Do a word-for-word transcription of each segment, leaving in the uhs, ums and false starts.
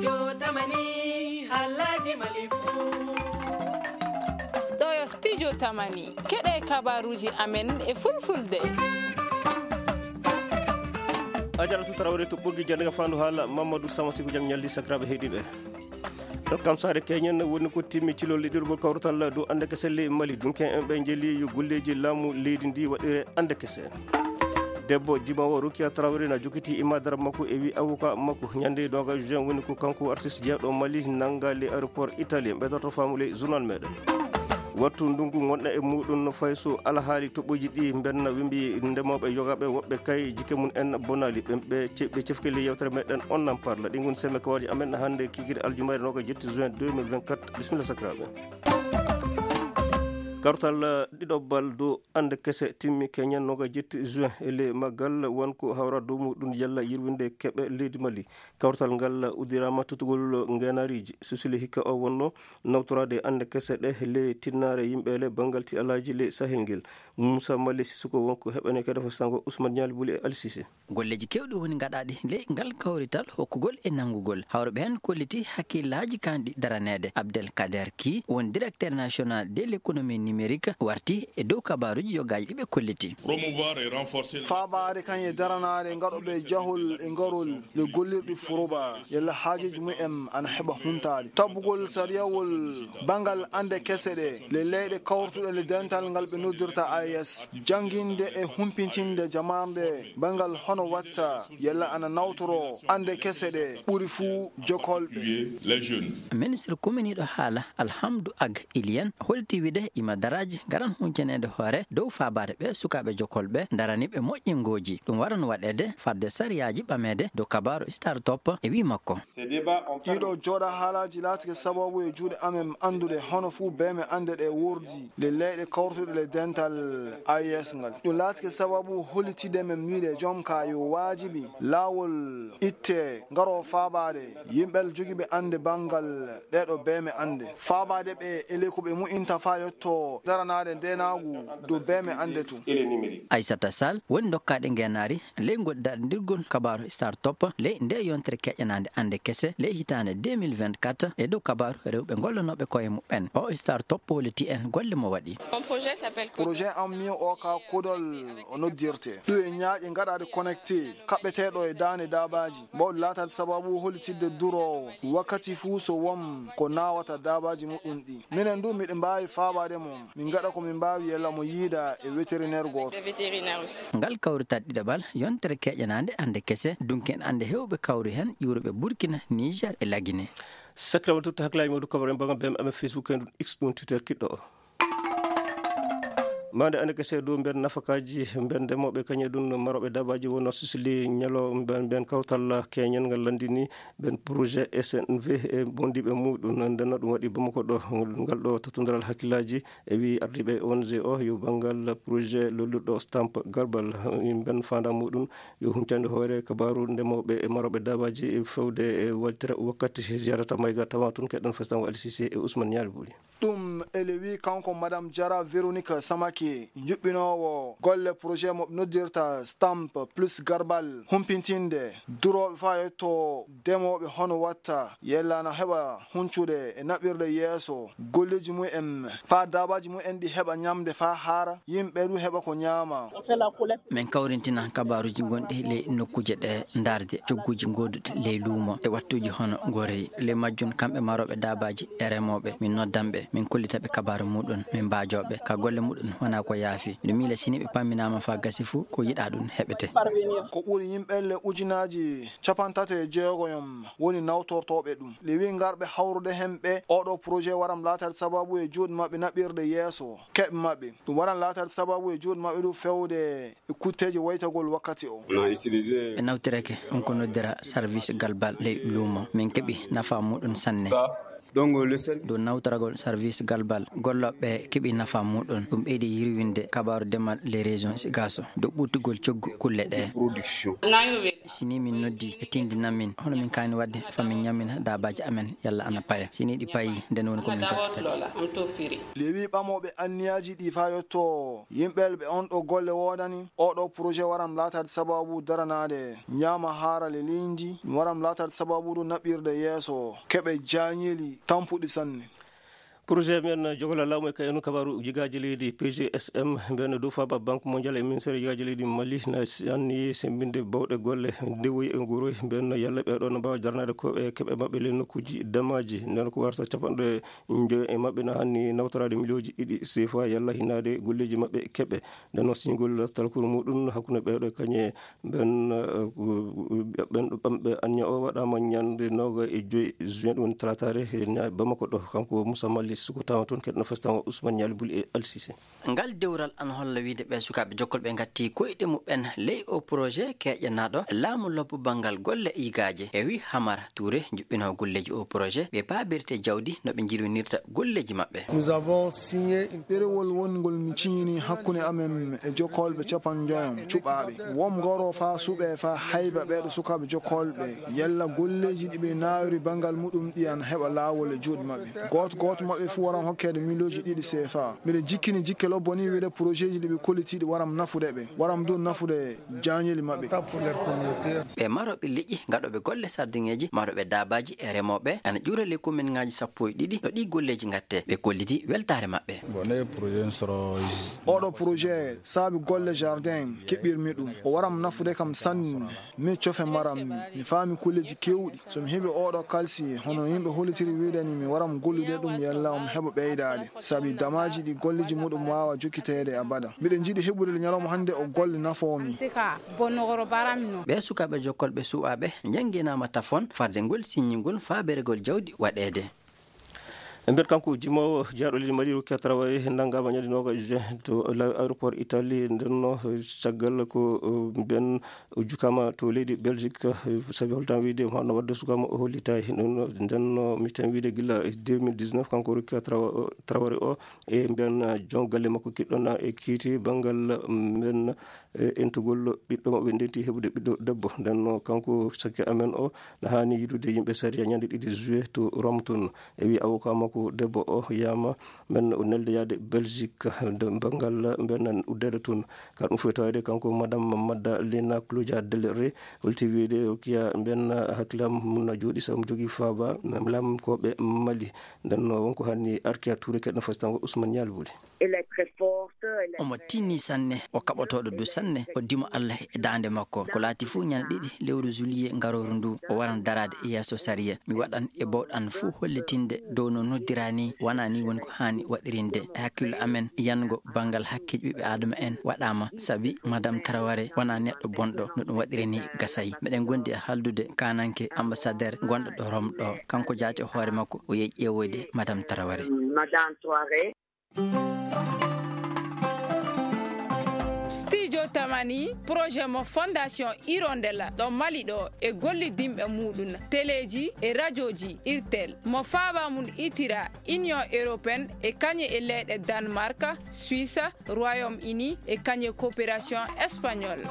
Jotamani, halaji malifu. Ɗo yo studio Tamani. Keɗe kabaruji amen e fulfulde. A jara tu tarawre to ɓoggi jannde ka fandu haala Mamadou Sama Siku jam ñalli sakiraɓe heɗiɓe. Ɗo kam saare keñen woni ko timmi cilol liɗirgol kawrutal dow ande kese ley Mali. Dunke en ɓe jeli yo golleji laamu leydi ndi waɗire ande kese. Debbo jimawo Rukia Traoré na jokiti imadara makko e wi avocat makko ñande doga juin woni ko kanko artiste jeeɗo Mali nanga le aéroport Italie ɓe dorto faamu ley journal meɗen. Wattu ndungu gonɗa e muɗum no fay so alhaali toɓɓoji ɗi benna wimbi ndemoɓe yogaɓe woɓɓe kay jike mum en bonali ɓe ɓe ce- ɓe cefkeli yewtere meɗen on nan parla ɗi gon semme kawaji amen hande kikiri aljumari noga jetti juin deux mille vingt-quatre. Bisimilla sakiraɓe. Kartal ɗiɗoɓal dow ande kese timmi keñen noga jetti juin e le maggal won ko hawra dow muɗum yalla yirwinde keɓe leydi Mali. Kawtal ngal uddirama tutugol ngenariji. Susile hikka o wonno nawtorade ande kese ɗe le tinnare yimɓe le bangal ti alaji le sahel ngel. Moussa Mali Sissoko wonko heɓane kadi fo sango Ousmane Niali Bouli e Ali Cissé. Golleji kewɗi woni gaɗaɗi ley ngal kawrital hokkugol e nanngugol. Hawruɓe heen kolliti hakkillaaji kanɗi daraneede. Abdel Kader Ki woni directeur national de l'économie numérique warti e dow kabaaruji yogaaji ɗi ɓe kolliti. Promouvoir et renforcer le Faabaade kañe daranaade ngaɗoɓe jahol e ngarol le gollirɗi furuba yalla haajuji mumen ana heɓa huntaade. Tabbugol sariyawol banngal annde kese ɗe le leyɗe kawrutuɗe le dental ngal ɓe noddirta A E S. Jannginde e humpitinde jamarnde banngal hono watta yalla ana nawtoro annde kese ɗe ɓuri fuu jokolɓe. Les jeunes. Ministre kuminiiɗo haala Alhamdu Ag Iliyen holti wide ima daraaji ngaran huncaneede hoore dow faabaade ɓe sukaaɓe jokolɓe daraniiɓe moƴƴingooji. Ɗum waran waɗeede fadde sariyaaji ɓameede dow kabaaru start-up e wii makko. Iɗo jooɗa haalaaji laatike sababu e juuɗe amen anndude hono fuu beeme annde ɗe wordi le leyɗe kawrutuɗe le dental A E S ngal. Ɗum laatike sababu hollitide men wiide joom ka yo waajibi laawol itte ngaro faabaade yimɓe jogiiɓe annde banngal ɗeeɗo beeme annde. Faabaade ɓe e ley ko ɓe mu'inta faa yotto daranaade ndeenaagu dow beeme annde tun. Aissata Sall woni dokkaaɗe ngeenaari ley ngol darndirgol kabaaru start-up ley nde yontere keƴanaande annde kese ley hitaande deux mille vingt-quatre e dow kabaaru rewɓe gollanooɓe koye muɓɓen. O start-up holliti en golle mo waɗi. Mon projet s'appelle Projet am mi o ka kudol o noddirte. Ɗum e ñaaƴe ngaɗaaɗe connecté, kaɓɓeteeɗo e daande daabaaji. Mbawɗo laataade sababu hollitidde duroowo wakkati fuu so won ko naawata daabaaji muɗum ɗi. Minen du miɗen mbaawi faabaade mo. Min ngaɗa ko min mbaawi yalla mo yiida e vétérinaire gooto. Des vétérinaires aussi. Ngal kawrital ɗiɗaɓal yontere keƴanaande annde kese, dunken annde heewɓe kawri heen ƴuuruɓe Burkina, Niger e Lagine. Sakiraɓe tutta hakkilaaji mawɗo kabaru en banngal B M M Facebook en ɗum X ɗum Twitter kiɗɗo o. Mande ande kese dow mben nafakaji mben ndemoɓe kañe ɗum maroɓe dabaji wonno Sicili ñalo mben mben kawtal keñen ngal landini ben projet S N V e bondiɓe muɗum. Ndenno ɗum waɗi Bamako ɗo ngal ɗo tattodaral hakkillaji e wi ardiɓe O N G o yo bangal projet lollirɗo stamp garbal ben fanda muɗum yo huncande hoore kabaru ndemoɓe e maroɓe dabaji fewde e waltira wakkati jarata mayga tawa tun keɗɗon festango L C C e Ousmane Nial Buli. Ɗum ele wi kanko Madame Jara Véronique Samake, juɓɓinoowo golle projet mo noddirta Stamp Plus Garbal, humpitinde durooɓe faa yetto demooɓe hono watta yella na heɓa huncude e naɓirde yeeso golleeji mumen faa daabaaji mumen ɗi heɓa ñamde faa haara, yimɓe du heɓa ko ñaama. Min kawrintina kabaaruuji gonɗi ley nokkuuje ɗe ndaarde cogguuji gooduɗi ley luumo e wattuuji hono goreyi. Ley majjum, kamɓe marooɓe daabaaji e remooɓe, min noddan ɓe, min kollita ɓe kabaaru muɗum, min mbaajoo ɓe. Ka golle muɗum wonaa ko yaafi. Miɗo miila si nii ɓe pamminaama faa gasi fuu, ko yiɗaa ɗum heɓete. Ko ɓuri yimɓe le ujunaaji cappantato e jeegoyom woni nawtortooɓe ɗum. Le wi ngarɓe hawrude heen ɓe, oo ɗoo projet waram laataade sababu e juuɗe maɓɓe naɓirde yeeso keɓe maɓɓe. Ɗum waran laataade sababu e juuɗe maɓɓe ɗum fewde e kutteeji waytagol wakkati o. Ɓe nawtirake on ko noddira service galbal ley luumo. Min keɓi nafa muɗum sanne. Donc, le service dow nawtoragol service galbal gollooɓe keɓi nafa muɗum. Ɗum ɓeydi yirwinde kabaaru demal les régions sigaso dow ɓurtugol coggu kulle ɗe. Si ni min noddi e tindinan min hono min kaani waɗde, fa min ñammin daabaaji amen yalla ana paya. Si ni ɗi payi, nden woni ko min jokkitata. Lewi ɓamooɓe anniyaaji ɗi faa yotto yimɓe ɓe on ɗo golle woodani. Oɗo projet waran laataade sababu daranaade ñaama haarale leydi, waran laataade sababu ɗum naɓirde yeeso keɓe jaañeli tampuɗi sanne. Projet men jogolal laamu e kayanu kabaaru jigaaji leydi P G S M, mbiyanno dow faaba Banque Mondiale e ministère jigaaji leydi Mali na anni semmbinde bawɗe golle ndewoyi e nguroyi. Mbiyanno yalla ɓeeɗo no mbaawa jarnaade ko e keɓe maɓɓe ley nokkuuji damaaji. Nden ko warata capanɗe njoyo e maɓɓe na hanni nawtoraade miliyooji ɗiɗi sefa yalla hinaade golleeji maɓɓe keɓe. Nden noon siñgol talkuru muɗum hakkunde ɓeeɗo kañe ɓen, eh, ɓen ɗo ɓamɓe anniya o waɗaama ñande nooga e joyi juin, ɗum woni talataare, e ña-, Bamako ɗo. Kanko Moussa Mali suko tawa toon, keɗno festago Ousmane Ñaali Buli e Alsise. Ngal dewral ana holla wiide ɓe sukaaɓe jokkol ɓe ngatti koyɗe muɓɓen ley o projet keƴanaaɗo laamu lobbo banngal golle yigaaje. E wi Hamara Touré, juɓɓinoowo golleeji o projet, ɓe paabirte jawdi no ɓe njirwinirta golleeji maɓɓe. Nous avons signé une ɗerewol wongol mi ciñini hakkunde amen e jokkolɓe capanɗe njoyam cuɓaaɓe. Wom ngoro faa suɓe faa hayba ɓeeɗo sukaaɓe jokkolɓe. Yalla golleeji ɗi ɓe naawiri banngal muɗum ɗi ana heɓa laawol e juuɗe maɓɓe. Gooto gooto maɓɓe fuu waran hokkeede miliyooji ɗiɗi sefa. Miɗo jikkini jikke lobbo ni wiide projetji ɗi ɓe kollitiiɗi waram nafude ɓe. Waram du nafude jaañeli maɓɓe. Ɓe marooɓe liƴƴi, gaɗooɓe golle sardiŋeeji, marooɓe daabaaji e remooɓe, ana ƴuura ley kominŋaaji sappo e ɗiɗi no ɗii golleeji ngattee. Ɓe kolliti weltaare maɓɓe. Bon, ne projet soro. Oɗo projet saabi golle jardin keɓirmi ɗum. O waram nafude kam sanne. Mi cofe maram mi. Mi faami kulleeji keewɗi. So mi heɓi oɗo kalsi, hono yimɓe hollitiri wiide ni, mi waram gollude ɗum yalla omo heɓa ɓeydaade. Sabi damaaji ɗi golleeji muɗum waawa jokkiteede abada. Miɗen njiɗi heɓude ñalawma hannde o golle nafoomi. Sika, bonnogoro barami no. Ɓee sukaaɓe jokkolɓe suɓaaɓe njannginaama tafon farde ngol siññingol faaberegol jawdi waɗeede. E nder kanko jimoowo jeyaaɗo leydi Mali Rokia Traoré nanngaama ñande noogaas juin to la-, aéroport Italie. Nden no caggal ko, eh, mbiyen o jukaama to leydi Belgique, eh, sabi holtan wiide mo hano wadde sukaama o hollitaay. Nden no, nden no mi tan wiide gila deux mille dix-neuf kanko Rokia Traoré o, e mbiyen, eh, jon galle makko kiɗɗon e kiiti banngal, mm, mbiyen e entugol ɓiɗɗo maɓɓe ndenti heɓude ɓiɗɗo debbo. Nden no kanko sakke amen o na haani yidude yimɓe sariya ñande ɗiɗi juillet to Rome toon. E wi avocat makko debbo o yama men o nelde yaade Belgique de banngal mben uddeede toon. Ka ɗum fof tawde kanko madame Madalena Claudia Del Rey holti wiide o kiya mben hakkilam mun na jooɗi sabu jogii faaba lam ko ɓe Mali. Nden no wonko hanni Arkia Touré keɗno fastango Ousmane Ñaal Buli. Elle est très forte, elle est omo tinni sanne, o kaɓotooɗo du sanne, o dimo Allah e daande makko. Ko laati fuu ñande ɗiɗi lewru juillet ngarooru ndu, o waran daraade e yeeso sariya. Mi waɗan e bowɗan fuu hollitinde dow no noddira ni, wonaa ni woni ko haani waɗirinde. E hakkillo amen, yango banngal hakkeeji ɓiɓɓe Aadama en waɗaama, sabi Madame Traoré wonaa neɗɗo bonɗo no ɗum waɗiri ni gasay. Meɗen gondi e haaldude kaananke ambassadeur gonɗo ɗo Rome ɗo. Kanko jaati e hoore makko, o yehi ƴeewoyde Madame Traoré. Madame Traoré. Studio Tamani, projet mo Fondation Hirondella ɗo Mali ɗo e gollidinɓe muɗum, teleeji e rajooji Irtel, mo faaba mum itira Union Européenne e kañum e leyɗe Danemark, Suisse, Royaume-Uni e kañum e coopération espagnole.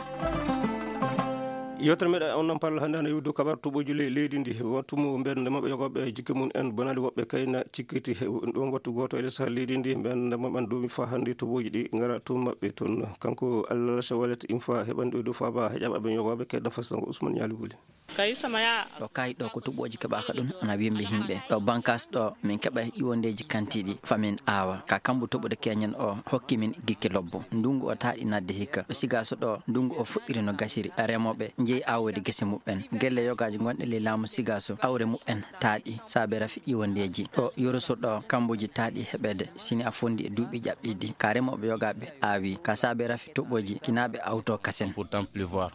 Yewtere meɗen on nan parla hannde hano iwde kabar toɓoji ley leydi ndi. Wattu mo mbeɗa ndema ɓe yogooɓe jikke mum en bonali woɓɓe kayna cikkiti. Ɗum wattu gooto e les leydi ndi mbeɗa ndema ɓen doomi fa hannde toɓoji ɗi ngara to maɓɓe toon. Kanko Allah Shawalet Infa heɓanɗo e dow faaba heƴaɓe ɓe yogooɓe kedda fasango Ousmane Ñaali Buli. Ɗo kayi ɗo ko toɓoji keɓaka ɗum ana wimbi yimɓe. Ɗo bankas ɗo min keɓa iwondeji kantiɗi fa min aawa. Ka kambu toɓude keñen o hokki min gikke lobbo. Ndungu o taaɗi nadde hikka. Ɗo Sigaso ɗo ndungu o fuɗɗiri no gasiri. Remoɓe jeeyi awode gese muɓɓen. Gelle yogaji gonɗe ley laamu Sigaso awre muɓɓen taaɗi. Saabe rafi iwondeji. Ɗo Yoroso ɗo kambuji taaɗi heɓede. Sini a fondi e duuɓi ƴaɓɓiɗi. Ka remoɓe yogaɓe aawi. Ka saabe rafi toɓoji kinaɓe awto kasen. Pourtant pleuvoir.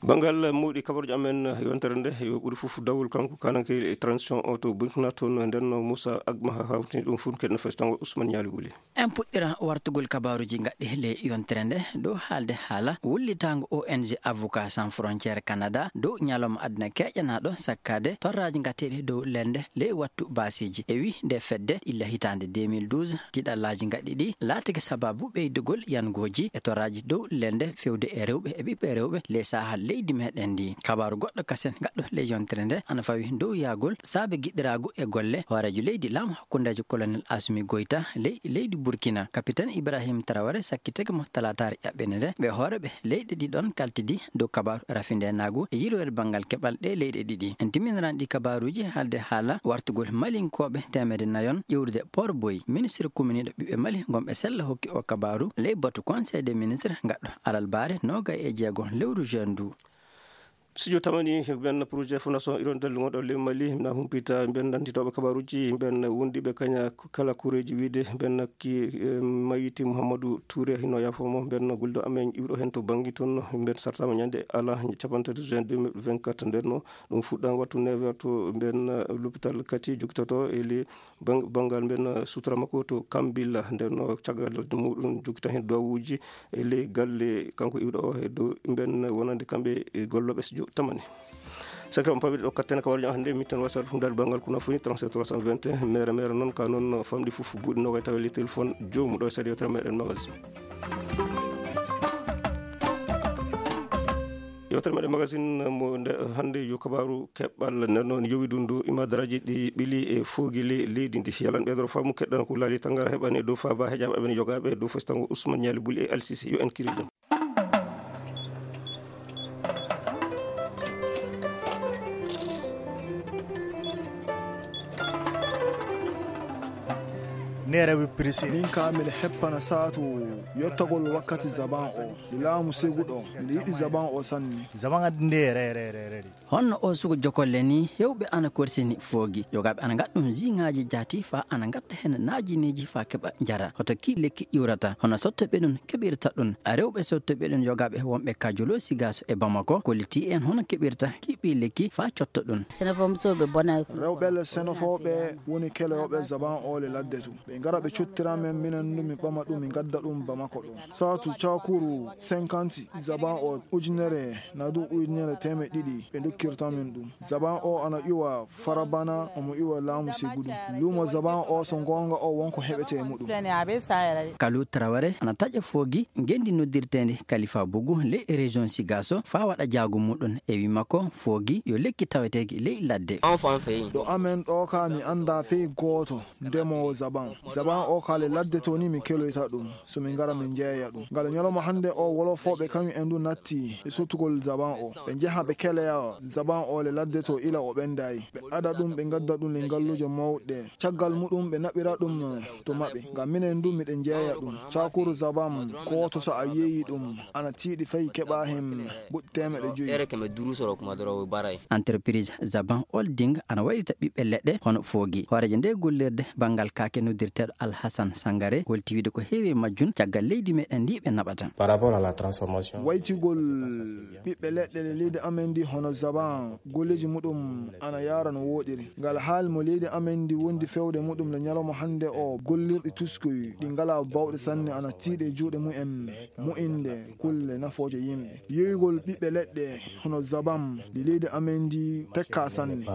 Banngal mawɗi kabaruuji amen, yontere nde yo ɓuri fof dawol kanko kananke e transition o to Burkina toon. Nden no Moussa Agma hawtini ɗum fof, keɗen festango Ousmane Ñaali Wuli. En puɗɗira wartugol kabaaruuji gaɗɗi le yontere nde dow haalde haala wullitaango O N G Avocat Sans Frontière Canada dow ñalawma aduna keƴanaaɗo sakkaade torraaji gateeɗi dow lende le wattu baasiiji. E wi nde fedde illa hitaande deux mille douze, tiɗallaaji gaɗɗi ɗi laatake sababu ɓeydugol yangooji e torraaji dow lende fewde e rewɓe e ɓiɓɓe rewɓe le Sahel leydi meɗen ndi. Kabaaru goɗɗo kasen gaɗɗo le yontere nde ana fawi dow yaagol saabe giɗiraagu e golle hooreejo leydi laamu hakkundeejo Colonel Assimi Goïta ley leydi Burkina. Capitaine Ibrahim Traoré sakkitake mo talaataare ƴaɓɓende nde ɓe hooreeɓe leyɗe ɗiɗon kaltidi dow kabaaru rafindeenaagu e yirwere banngal keɓal ɗe leyɗe ɗiɗi. En timminirani ɗi kabaaruuji haalde haala wartugol Malinkooɓe teemedde nayon ƴewrude Port Boy. Ministre kuminiiɗo ɓiɓɓe Mali ngonɓe sella hokki o kabaaru ley batu Conseil des ministres gaɗɗo alarbaare noogay e jeego lewru juin ndu. Studio tamani, mben projet Fondation Hirondelle ngonɗo ley Mali, na humpita mben nantitooɓe kabaaruuji, mben wondiiɓe kaña kala kureeji wiide, mben ki, eh, Mayiti Mouhamadou Touré, hino yaafoo mo, mben golliiɗo amen iwɗo heen to Banngi toon, mben sartaama ñande ala, capanɗe tati juin deux mille vingt-quatre, nden no ɗum fuɗɗaama wattu neuf heures to mben, eh, l'hôpital Kati, jokkitoto e le Bang-, banngal mben, eh, sutura makko to Kambilla, nden no caggal muɗum jokkita heen duwawuuji e ley galle kanko iwɗo o e dow mben wonande kamɓe e gollooɓe studio tamani. Sakira on pamiri ɗo kattene ka warjo hannde mitten wasal ɗum dal banngal kuna funi trente-sept trois cent vingt et un, mere mere noon ka noon famɗi fof buuɗi noga tawa le téléphone joomu ɗo e saɗi yewtere meɗen magazine. Yewtere meɗen magazine mo nde hannde yo kabaaru keɓal nden noon yowi dundu imadaraaji ɗi ɓili e foogili leydi ndi. Yalan ɓeydoro faamu keɗɗan ko laali tangara heɓani e dow faaba heƴaɓe aɓen yogaaɓe e dow festango Ousmane Ñaali Buli e Alsisi. Yo en kiri jam. Neere wi prisi. Min ka miɗa heppana saatu yottagol wakkati zaban o. Mi laamu seguɗo. Miɗa yiɗi zaban o sanne. Zaban adde nde re, re, re, re. Honno o sugu jokolle ni, hewɓe ana korsini foogi. Yogaaɓe ana ngaɗa ɗum ziŋaaji jaati fa ana ngatta hen naajineeji fa keɓa njara. Hoto ki lekki iwrata. Hono sottoɓe ɗum keɓirta ɗum. A rewɓe sottoɓe ɗum yogaaɓe wonɓe ka Jolo, Sigaso e Bamako. Kolliti en hono keɓirta ki ɓii lekki fa cotto ɗum. Senefo musoɓe bona. Rewɓe le senefooɓe woni keloyoɓe zaban o le ladde to. Ɓe ngara ɓe cottira men, minen ndu mi ɓama ɗum, mi gadda ɗum Bamako ɗo. Saatu cakuru cinquante, zaban o ujunere, na du ujunere teemeɗɗe ɗiɗi, ɓe dokkirta min ɗum. Zaban o ana iwa Farabana, omo iwa laamu Segudu. Luumo zaban o, so goonga o, wonko heɓete e muɗum. Kalu Traoré ana taƴa foogi ngenndi noddirteendi Kalifa Bogu ley région Sigaso faa waɗa jaago muɗum. E wi makko, foogi yo lekki taweteeki ley ladde. Ɗo amen ɗo ka mi annda fey gooto. Ndemoowo zaban. Zaban o ka le ladde to ni mi keloyta ɗum. So min ngara min jeeya ɗum. Ngal ñalawma hannde o wolofooɓe kañum en du natti e sottugol zaban o. Ɓe njeha ɓe keleya zaban o le ladde to ila o ɓendayi. Ɓe ada ɗum, ɓe ngadda ɗum le ngalluuje mawɗe. Caggal muɗum ɓe naɓira ɗum to maɓɓe. Ngam minen du miɗen jeeya ɗum. Cakuru zaban ko to so a yeeyi ɗum ana tiiɗi fay keɓa hen buɗ teemeɗe joyi. Ere keme duru soro kuma doro baray. Entreprise Zaban Holding ana waylita ɓiɓɓe leɗɗe hono foogi. Hooreejo nde gollirde banngal kaake noddirteeɗo Alhassan Sangare holti wiide ko heewi e majjum caggal leydi meɗen ndi ɓe naɓata. Par rapport à la transformation. Waytigol ɓiɓɓe leɗɗe le leydi amen ndi hono zaban, golleeji muɗum ana yaara no wooɗiri. Ngal haali mo leydi amen ndi wondi fewde muɗum le ñalawma hannde o, gollirɗi tuskoy ɗi ngala bawɗe sanne ana tiiɗe juuɗe mumen. Mo'inde kulle nafooje yimɓe. Yoyugol ɓiɓɓe leɗɗe hono zabam, ndi leydi amen ndi tekka sanne.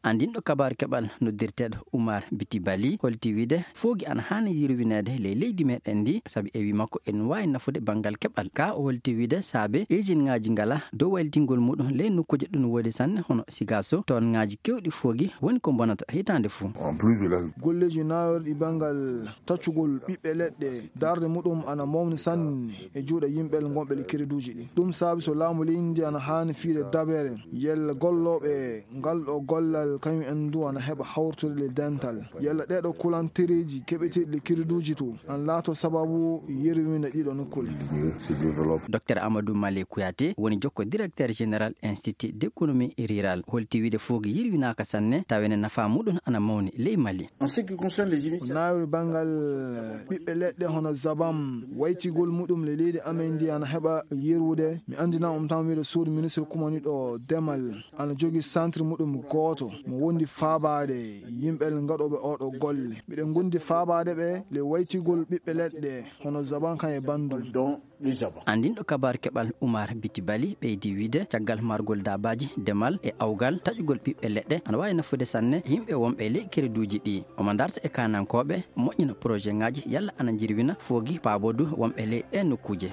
Andinɗo kabaaru keɓal noddirteeɗo Oumar Biti Bali holti wiide foogi ana haani yirwineede ley leydi meɗen ndi, sabi e wi makko en waawi nafude banngal keɓal. Ka o holti wiide saabe usine ŋaaji ngala dow waylitingol muɗum ley nokkuuje ɗum woodi sanne hono Sigaso, toon ŋaaji kewɗi foogi woni ko bonata hitaande fuu. Golleeji naayorɗi banngal taccugol ɓiɓɓe leɗɗe, darnde muɗum ana mawni sanne e juuɗe yimɓe gonɓe le kereduuji ɗi. Ɗum saabi so laamu leydi ndi ana haani fiide dabere, yalla gollooɓe ngal ɗo gollal kañum en du ana heɓa hawrutude le dental, yalla ɗee ɗo kulan Tereeji keɓeteeɗi le kiriduuji to an laato sababu yerwina ɗiɗo nokkule. Docteur Amadou Male Kouyaté woni jokko directeur général Institut d'économie rurale, holti wiide foogi yirwinaaka sanne tawa ene nafa muɗum ana mawni ley Mali. Naawiri banngal ɓiɓɓe leɗɗe hono zabam waytigol muɗum le leydi amen ndi ana heɓa yerwude. Mi anndina on tan wiide suudu ministre kumaniɗo demal ana jogi centre muɗum gooto mo wondi faabaade yimɓe ngaɗooɓe oɗo golle. Miɗen ngondi faabaade ɓe le waytigol ɓiɓɓe leɗɗe hono zaban kan e banndum. Andinɗo kabaar keɓal Umar Biti Bali ɓeydi wiide caggal margol daabaaji demal e awgal taƴugol ɓiɓɓe leɗɗe ana waawi nafude sanne yimɓe wonɓe ley kereduuji ɗi. Omo darta e kaanankooɓe moƴƴina projet ŋaaji yalla ana njirwina foogi paabodu wonɓe ley ɗee nokkuuje.